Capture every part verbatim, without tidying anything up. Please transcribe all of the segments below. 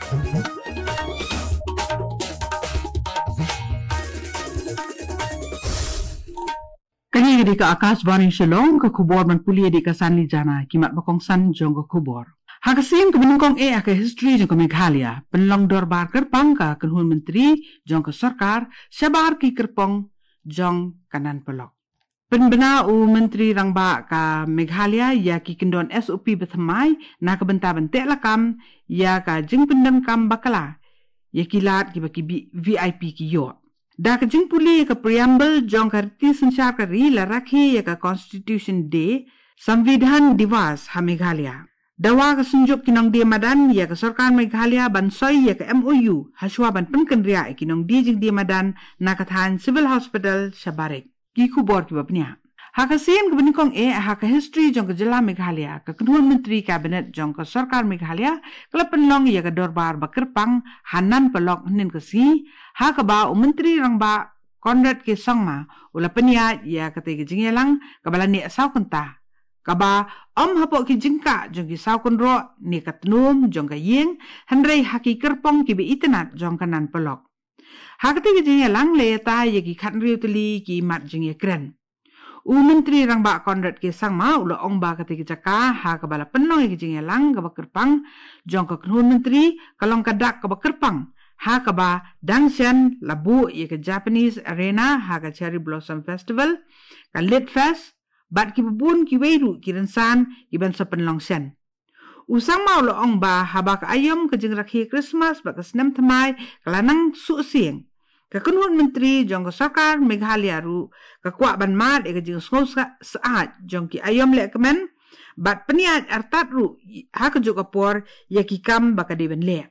Kane ka dei ka Akashvani Shillong, ka khubor ban pule da ka Sanli Jana, ki mat ba kongsan jong ka khubor. Ha ka sien kaba nyngkong eh ha ka history jong ka Meghalaya, pynlong dorbar kyrpang ka kynhun myntri jong ka sorkar shabar ki kyrpang jong ka Nan Polok. Pynbna u Myntri Rangbah ka Meghalaya ïa ki kyndon S O P ba thymmai na ka bynta ban teh lakam ïa ka jingpyndonkam bakla ïa ki lad kiba ki V I P ki ïoh. Da ka jingpule ka preamble jong ka riti synshar ka ri, la rakhe ïa ka Constitution Day, Samvidhan Diwas ha Meghalaya. Dawa ka synjuk ki nongdie madan ïa ka sorkar Meghalaya ban soi ïa ka M O U hashwa ban pynkynriah ïa ki nongdie jingdie madan na ka thaiñ Civil Hospital Shabarik. Ki khubor kiba pynïaid. Ha ka sien kaba nyngkong eh ha ka history jong ka jylla Meghalaya, ka kynhun myntri cabinet jong ka sorkar Meghalaya ka la pynlong ïa ka dorbar ba kyrpang ha Nan Polok hynnin ka sngi, ha kaba u Myntri Rangbah Conrad K Sangma u la pynïaid ïa katei ka jingïalang kaba la neh saw kynta, kaba ym hapoh ki jingkah jong ki saw kynroh ne ka tnum jong ka ïing, hynrei ha ki kyrpang kiba itynnad jong ka Nan Polok. Ha katei ka jingïalang la ïatai ïa ki khathynriew tylli ki mat jingïakren. U Myntri Rangbah Conrad K Sangma u la ong ba katei ka jaka ha kaba la pynlong ïa ka jingïalang kaba kyrpang jong ka kynhun myntri ka long ka dak kaba kyrpang, ha kaba dang shen la buh ïa ka Japanese Arena ha ka Cherry Blossom Festival, ka Lit Fest, bad kiba bun kiwei ruh ki rynsan kiban sa pynlong shen. U Sangma u la ong ba haba ka aïom ka jingrakhe Christmas bad ka snem thymmai ka la nang suh sieng, ka kynhun myntri jong ka sorkar Meghalaya ruh ka kwah ban mad ïa ka jingsngew syaid jong ki aïom lehkmen bad pynïaid artat ruh ha kajuh ka por ïa ki kam ba ka dei ban leh.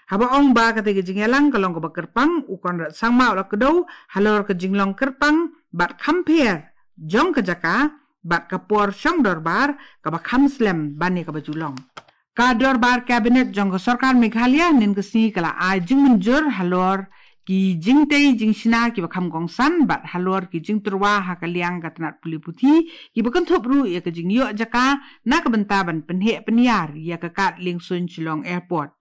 Haba ong ba katei ka jingïalang ka long kaba kyrpang, u Conrad Sangma u la kdew halor ka jinglong kyrpang bad kham pher jong ka jaka bad ka por shong dorbar kaba kham slem ban ïa kaba ju long. Ka dorbar cabinet jong ka sorkar Meghalaya hynnin ka sngi ka la ai jingmynjur halor ki jingtei jingshna kiba kham kongsan bad halor ki jingtyrwa ha ka liang ka tnat pule puthi, kiba kynthup ruh ïa ka jingïoh jaka na ka bynta ban pynheh pynïar ïa ka kad liengsuiñ Shillong Airport.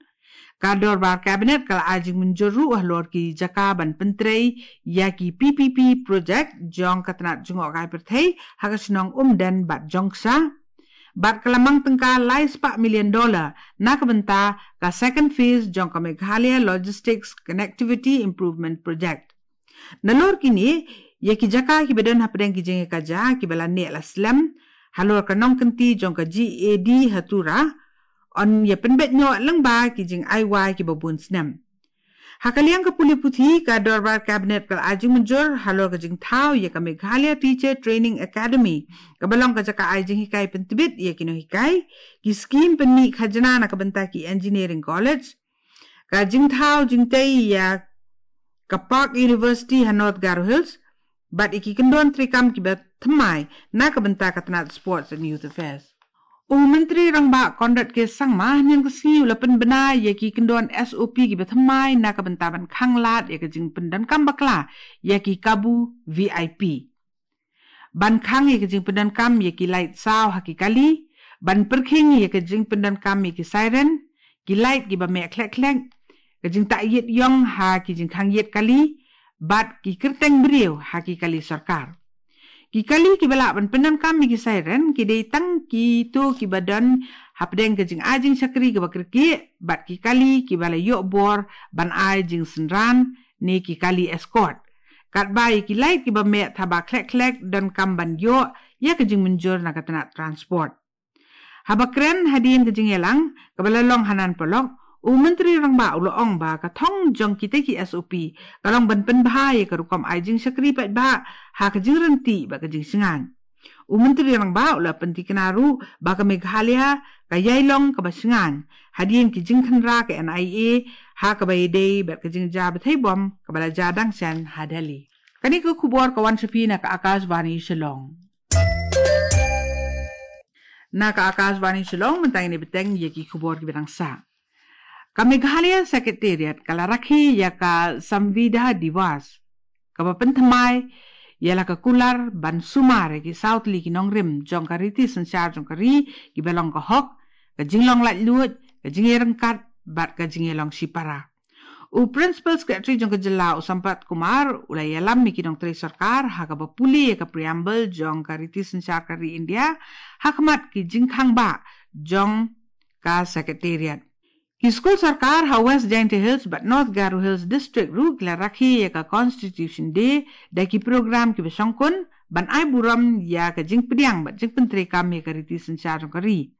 Ka dorbar cabinet ka la ai jingmynjur ruh halor ki jaka ban pyntrei ïa ki P P P project jong ka tnat jngohkai pyrthei ha ka shnong Umden bad Jongksha, bad ka la mang tyngka lai spah million dollar na ka bynta ka second phase jong ka Meghalaya Logistics Connectivity Improvement Project. Nalor kine, ïa ki jaka kiba don hapdeng ki jingïakajia kiba la neh la slem halor ka nongkynti jong ka G A D ha Tura, yn ïa pynbeit noh lyngba ki jingai wai kiba bun snem. Ha ka liang ka pule puthi, ka dorbar cabinet ka la ai jingmynjur halor ka jingthaw ïa ka Meghalaya Teacher Training Academy kaba long ka jaka ai jinghikai pyntbit ïa ki nonghikai, ki skim pynmih khajna na ka bynta ki engineering college, ka jingthaw jingtei ïa ka Park University ha North Garo Hills, bad ïa ki kyndon treikam kiba thymmai na ka bynta ka tnat Sports and Youth Affairs. U Myntri Rangbah Conrad K Sangma hynnin ka sngi u la pynbna ïa ki kyndon S O P kiba thymmai na ka bynta ban khang lad ïa ka jingpyndonkam bakla ïa ki kabu V I P. Ban khang ïa ka jingpyndonkam ïa ki light saw ha ki kali, ban pyrkhing ïa ka jingpyndonkam ïa ki siren, ki light kiba meh khlek khlek, ka jingtah ïit ïong ha ki jingkhang ïit kali, bad ki kyrteng briew ha ki kali sorkar. Ki kali kiba lah ban pyndonkam ïa ki siren ki dei tang kito kiba don hapdeng ka jingai jingshakri kaba kyrkieh, bad ki kali kiba la ïoh bor ban ai jingsynran ne ki kali escort. Katba ïa ki light kiba meh thaba khlek khlek donkam ban ïoh ïa ka jingmynjur na ka tnat transport. Haba kren hadien ka jingïalang kaba la long ha Nan Polok, u Myntri Rangbah u la ong ba ka thong jong kitei ki S O P ka long ban pynbha ïa ka rukom ai jingshakri paidbah ha ka jingryntih bad ka jingshngaiñ. U Myntri Rangbah u la pyntikna ruh ba ka Meghalaya ka ïai long kaba shngaiñ hadien ki jingkhynra ka N I A ha kaba ïadei bad ka jingjia bthei bom kaba la jia dang shen ha Delhi. Kane ka khubor ka wan sha phi na ka Akashvani Shillong. Na ka Akashvani Shillong, mynta ngin ïa bteng ïa ki khubor kiba dang sah. Ka Meghalaya Secretariat ka la rakhe ïa ka Samvidhan Diwas kaba pynthymmai ïa la ka kular ban sumar ïa ki saw tylli ki nongrim jong ka riti synshar jong ka ri kiba long ka hok, ka jinglong laitluid, ka jingïaryngkat bad ka jingïalong shipara. U Principal Secretary jong ka jylla u Sampath Kumar u la ïalam ïa ki nongtrei sorkar ha kaba pule ïa ka preamble jong ka riti synshar ka ri India ha khmat ki jingkhang bah jong ka Secretariat. Ki skul sorkar ha West Jaintia Hills bad North Garo Hills District ruh ki la rakhe ïa ka Constitution Day da ki program kiba shongkun ban ai burom ïa ka jingpdiang bad jingpyntreikam ïa ka riti synshar jong ka ri.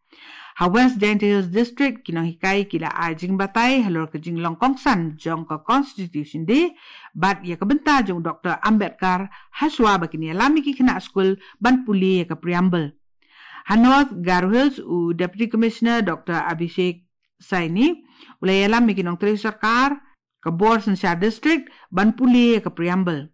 Ha West Jaintia Hills District ki nonghikai ki la ai jingbatai halor ka jinglong kongsan jong ka Constitution Day bad ïa ka bynta jong u Doctor Ambedkar hashwa ba kin ïalam ïa ki khynnah skul ban pule ïa ka preamble. Ha North Garo Hills u Deputy Commissioner Doctor Abhishek Saini u la ïalam ïa ki nongtrei sorkar ka bor synshar district ban pule ïa ka preamble.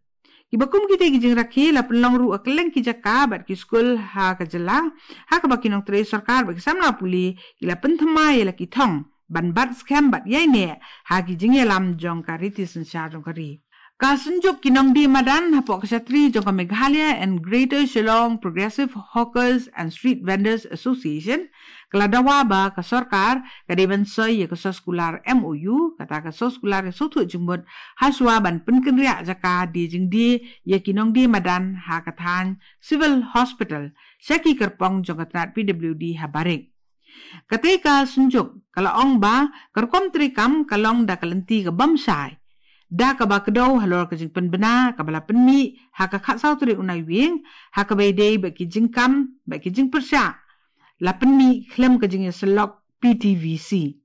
Kiba kum kita ki jingrakhe la pynlong ruh ha kylleng ki jaka bad ki skul ha ka jylla ha kaba ki nongtrei sorkar bad ki samla pule ki la pynthymmai ïa la ki thong ban bat skhem bad ïaineh ha ki jingïalam jong ka riti synshar jong ka ri. Ka Synjuk ki Nongdie Madan hapoh ka shatri jong ka Meghalaya and Greater Shillong Progressive Hawkers and Street Vendors Association ka la dawa ba ka sorkar ka dei ban soi ïa ka soskular M O U, kata ka soskular ïa sothuh jingmut, hashwa ban pynkynriah jaka die jingdie ïa ki nongdie madan ha ka thaiñ Civil Hospital sha ki kyrpong jong ka tnat P W D ha Barik. Katei ka Synjuk ka la ong ba ka rukom treikam ka long da ka lynti ka bym shai, da kaba kdew halor ka jingpynbna kaba la pynmih ha ka khatsaw tarik u Naiwieng ha kaba ïadei bad ki jingkam bad ki jingpyrshah la pynmih khlem ka jingïasyllok P T V C.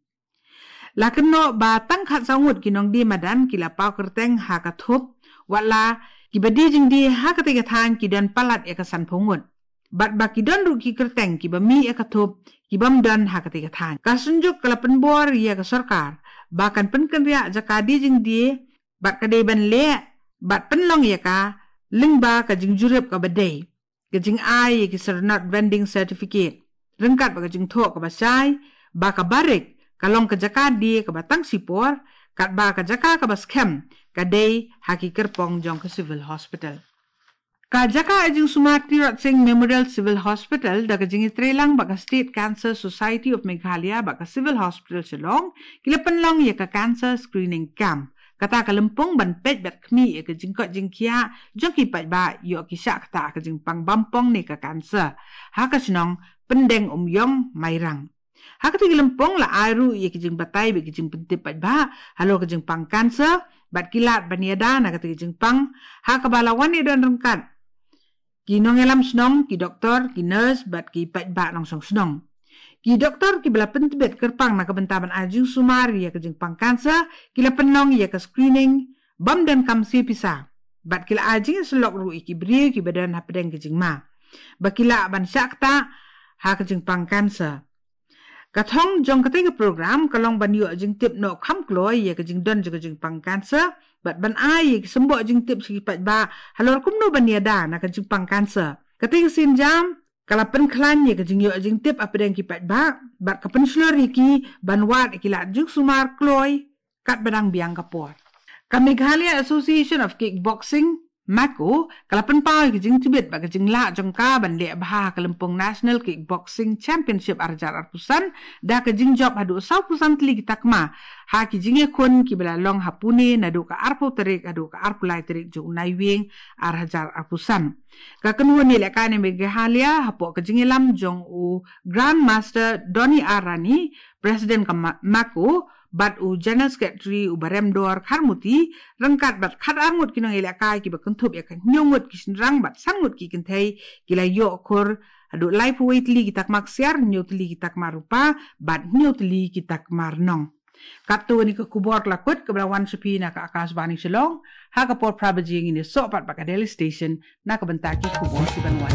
La kynnoh ba tang khatsaw ngut ki nongdie madan ki la paw kyrteng ha ka thup, wat la kiba die jingdie ha katei ka thaiñ ki don palat ïa ka sanphew ngut. Bad ba ki don ruh ki kyrteng kiba mih ïa ka thup ki bym don ha katei ka thaiñ. Ka Synjuk ka la pynbor ïa ka sorkar ba kan pynkynriah jaka die jingdie bad ka dei ban leh bad pynlong ïa ka lyngba ka jingjurip kaba dei, ka jingai ïa ki Syrnod Vending Certificate ryngkat bad ka jingthoh kaba shai ba ka Barik ka long ka jaka die kaba tang shipor, katba ka jaka kaba skhem ka dei ha ki kyrpong jong ka Civil Hospital. Ka jaka ai jingsumar Tirot Sing Memorial Civil Hospital da ka jingïatreilang bad ka State Cancer Society of Meghalaya bad ka Civil Hospital Shillong ki la pynlong ïa ka cancer screening camp. Kata ka lympung ban peit bad khmih ïa ka jingkoit jingkhiah jong ki paidbah ïoh ki shah ktah ka jingpang bampong ne ka cancer ha ka shnong Pyndeng Umïong, Mairang. Ha katei ka lympung la ai ruh ïa ki jingbatai bad ki jingpyntip paidbah halor ka jingpang cancer bad ki lad ban ïada na katei ka jingpang ha kaba la wan ïadon ryngkat ki nongïalam shnong, ki doktor, ki nurse bad ki paidbah nongshong shnong. Ki doktor kiba la pyntbit kyrpang na ka bynta ban ai jingsumar ïa ka jingpang cancer ki la pynlong ïa ka screening bym donkam siew pisa bad ki la ai jingïasyllok ruh ïa ki briew kiba don hapdeng ka jingma ba ki lah ban shah ktah ha ka jingpang cancer. Ka thong jong katei ka program ka long ban ïoh jingtip noh kham kloi ïa ka jingdon jong ka jingpang cancer bad ban ai ïa ki symboh jingtip sha ki paidbah halor kumno ban ïada na ka jingpang cancer. Katei ka sienjam ka la pynkhlaiñ ïa ka jingïoh jingtip hapdeng ki paidbah bad ka pynshlur ïa ki ban wad ïa ki lad jingsumar kloi katba dang biang ka por. Ka Meghalaya Association of Kickboxing, MAKO, ka la pynpaw ïa ka jingtbit bad ka jinglah jong ka ban leh bha ha ka lympung National Kickboxing Championship ar hajar arphew san da ka jingjop haduh sawphew san tylli ki takma ha ki jingïakhun kiba la long ha Pune naduh ka arphew tarik haduh ka arphew lai tarik jong u Naiwieng ar hajar arphew san. Ka kynhun ïalehkai na Meghalaya hapoh ka jingïalam jong u Grandmaster Donny R Rani, President ka Ma-, MAKO, bad u General Secretary u Baremdor Kharmuti ryngkat bad khatar ngut ki nongïalehkai kiba kynthup ïa ka hynñiew ngut ki shynrang bad san ngut ki kynthei ki la ïoh khur haduh laiphew wei tylli ki takma ksiar, hynñiew tylli ki takma rupa bad hynñiew tylli ki takma rnong. Katto kane ka khubor ka la kut kaba la wan sha phi na ka Akashvani Shillong. Ha ka por phra baje ngin ïasoh pat bad ka Delhi Station na ka bynta ki khubor kiban wan.